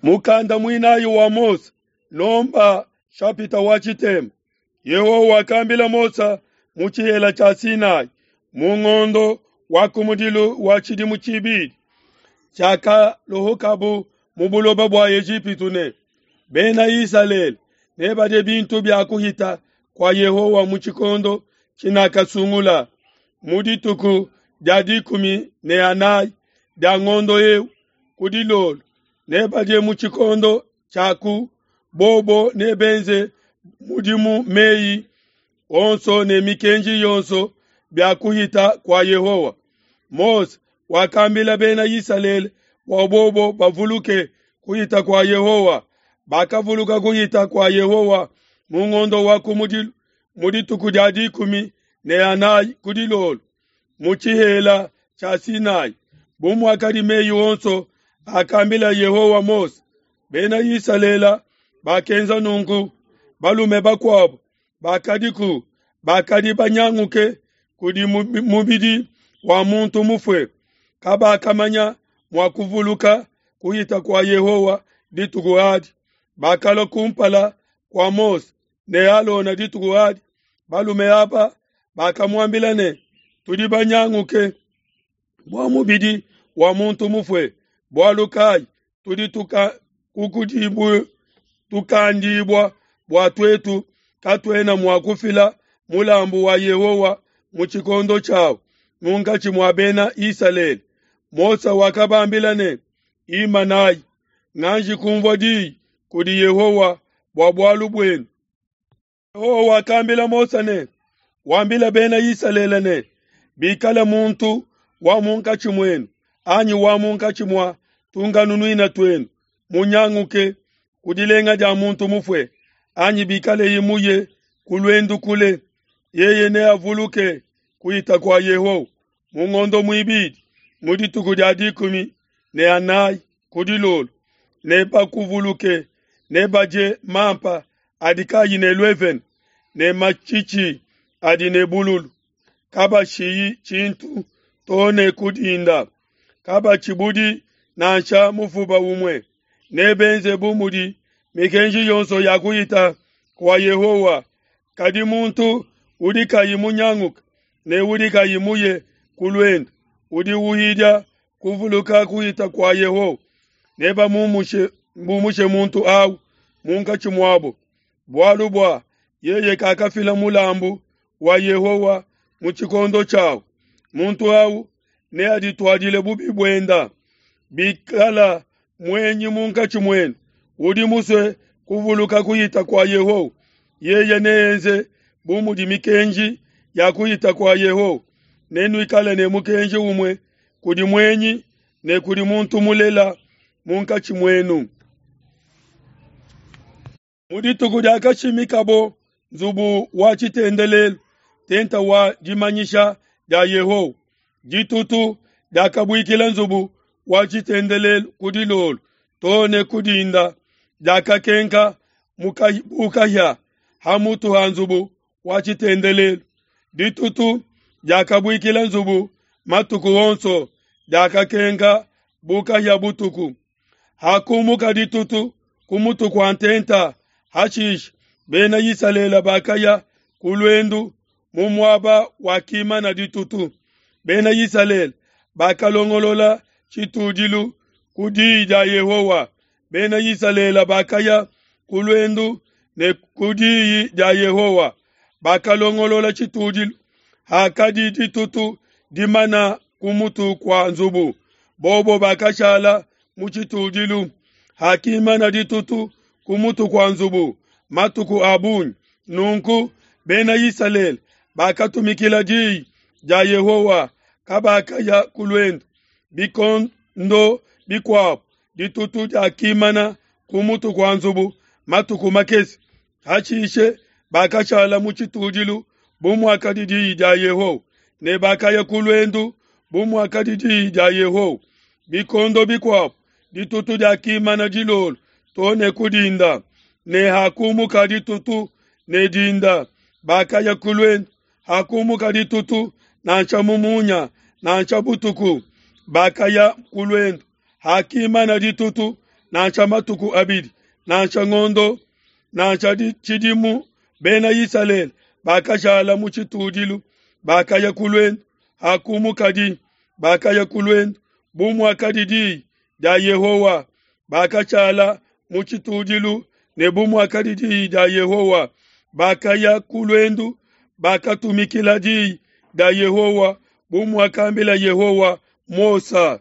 Mukanda muinayi wa Mose, Nomba shapita wa tshitema. Yehowa wakambila Mose mu tshihela tshia Sinai mu ngondo wa kumudilu wa tshidimu tshibidi tshiakalohokabu mu buloba bua Ejipitu ne, Bena Isalele nebadie bintu bia kuhita kua Yehowa mu tshikondo tshinakasungula mu dituku dia 14 dia ngondo eu ku dilolo nebadie mu tshikondo tshiaku bobo nebenze mudimu meyi onso ne mikenji yonso bia kuhita kua Yehowa. Mose wakambila Bena Isalele bua bobo bavuluke kuhita kua Yehowa. Bakavuluka kuhita kua Yehowa mu ngondo wa kumudilu mu dituku dia 14 ku dilolo mu tshihela tshia Sinai, bu muakadi meyi onso akambila Yehowa Mose. Bena Isalele bakenza nunku. Balume bakuabo bakadiku bakadi banyanguke kudi mubidi wa muntu mufue, kabakamanya mua kuvuluka kuhita kua Yehowa dituku adi. Bakalua kumpala kua Mose ne Alona dituku adi. Balume aba bakamuambila ne, tudi banyanguke bua mubidi wa muntu mufue, bualu kai tudi tukandibua bua tuetu katuena mua kufila mulambu wa Yehowa mu tshikondo tshiawu munkatshi mua Bena Isalele. Mose wakabambila ne, imanayi, nganji kumvua diyi kudi Yehowa bua bualu buenu. Yehowa wakambila Mose ne, wambila Bena Isalele ne, bikala muntu wa munkatshi muenu anyi wa munkatshi mua tunkanunuina tuenu munyanguke ku dilenga dia muntu mufue, anyi bikaleye muye ku luendu kule, yeye neavuluke kuhita kua Yehowa mu ngondo muibidi mu dituku dia 14 ku dilolo, nebakuvuluke, nebadie mampa adi kayi ne luevene ne matshitshi adi ne bululu, kabashiyi tshintu to ne ku dinda, kabatshibudi nansha mufuba umue. Nebenze bu mudi mikenji yonso ya kuhita kua Yehowa. Kadi muntu udi kayi munyanguke ne udi kayi muye ku luendu, udi uhidia kuvuluka kuhita kua Yehowa, nebamumushe muntu au munkatshi muabo, bualu bua yeye kakafila mulambu wa Yehowa mu tshikondo tshiawu. Muntu au neadituadile bubi buenda. Bikala muenyi munkatshi muenu udi musue kuvuluka kuhita kua Yehowa, yeye neenze bu mudi mikenji ya kuhita kua Yehowa. Nenuikale ne mukenji umue kudi muenyi ne kudi muntu mulela munkatshi muenu. Mu dituku diakashimikabo nzubu wa tshitendelelu, tenta wa dimanyisha dia Yehowa, ditutu diakabuikila nzubu wa tshitendelelu ku dilolo to ne ku dinda, diakakenka bukahia ha mutu ha nzubu wa tshitendelelu. Ditutu diakabuikila nzubu matuku onso, diakakenka bukahia butuku. Hakumuka ditutu ku mutu kua ntenta, hashishe Bena Isalele bakaya ku luendu mu muaba wakimana ditutu. Bena Isalele bakalongolola tshitudilu ku diyi dia Yehowa. Bena Isalele bakaya ku luendu ne ku diyi dia Yehowa, bakalongolola tshitudilu. Hakadi ditutu dimana ku mutu kua nzubu, bobo bakashala mu tshitudilu. Hakimana ditutu ku mutu kua nzubu matuku a bungi, nunku Bena Isalele bakatumikila diyi dia Yehowa, kabakaya ku luendu. Bikondo bikuabo ditutu diakimana ku mutu kua nzubu matuku makese, hashishe bakashala mu tshitudilu bu muakadi diyi dia Yehowa, ne bakaya ku luendu bu muakadi diyi dia Yehowa. Bikondo bikuabo ditutu diakimana dilolo to ne ku dinda, ne hakumuka ditutu ne dinda bakaya ku luendu. Hakumuka ditutu nansha mu munya nansha butuku bakaya ku luendu. Hakimana ditutu nansha matuku abidi, nansha ngondo, nansha tshidimu, Bena Isalele bakashala mu tshitudilu, bakaya ku luendu. Hakumukadi, bakaya ku luendu bu muakadi diyi dia Yehowa, bakashala mu tshitudilu ne bu muakadi diyi dia Yehowa, bakaya ku luendu, bakatumikila diyi dia Yehowa bu muakambila Yehowa Mose.